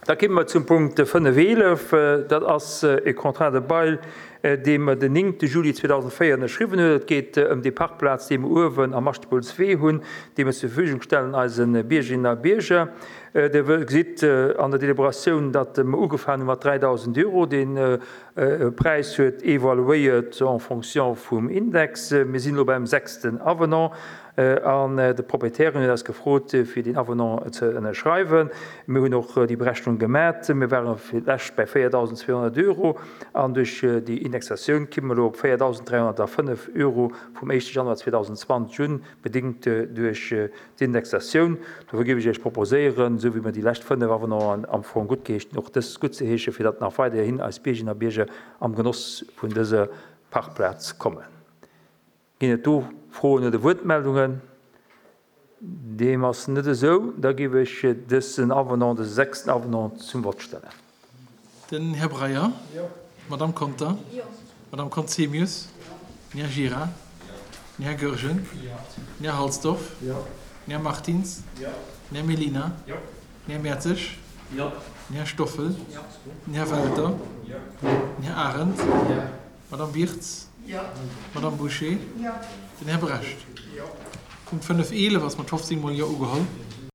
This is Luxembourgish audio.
Da kimme mer zum Punkt 5.11. Dat ass e Contrat de bail, dee mer den 9. Juli 2004 ënnerschriwwen hunn. Et geet ëm déi Parkplaz, déi mer uewen am Aschtebullswee hunn, déi mer zur Verfügung stellen eise Biergerinnen a Bierger. Dir gesitt an der Deliberatioun, datt mer ugefaangen hu mat 3.000 Euro. Dee Präis huet evaluéiert en fonction vum Index. Mir sinn elo beim sechsten Avenant. An de Propriétaire huet eis gefrot, fir deen Avenant ze ënnerschreiwen. Mir hunn och déi Berechnung gemat. Mir ware fir d'lescht bei 4.200 Euro an duerch déi Indexatioun kimme mer elo op 4.305 Euro vum éischte Januar 2020 un, bedéngt duerch d'Indexatioun. Dofir géif ech Iech proposéieren, esou wéi mer déi lescht 5 Avenanten am Fong guttgeheescht hunn, och dës guttzeheeschen, fir datt nach weiderhin eis Biergerinnen a Bierger am Genoss vun dëser Parkplaz kommen. Ginn et do Froen oder Wuertmeldungen? Deem ass net esou. Da géif ech dësen Avenant, dëse sechsten Avenant zum Vott stellen. Den Här Breyer. Jo. D'Madame Conter. Jo. D'Madame Conzemius. Jo. Den Här Gira. Jo. Den Här Goergen. Jo. Den Här Halsdorf. Jo. Den Här Martins. Jo. Den Här Mellina. Jo. Den Här Mertzig. Jo. Den Här Stoffel. Jo. Den Här Welter. Jo. Den Här Arendt. Jo. D'Madame Wirtz. Jo. D'Madame Bouché. Jo. Den Här Brecht. Jo. Punkt 5, 11 ass mat 15 mol Jo ugeholl.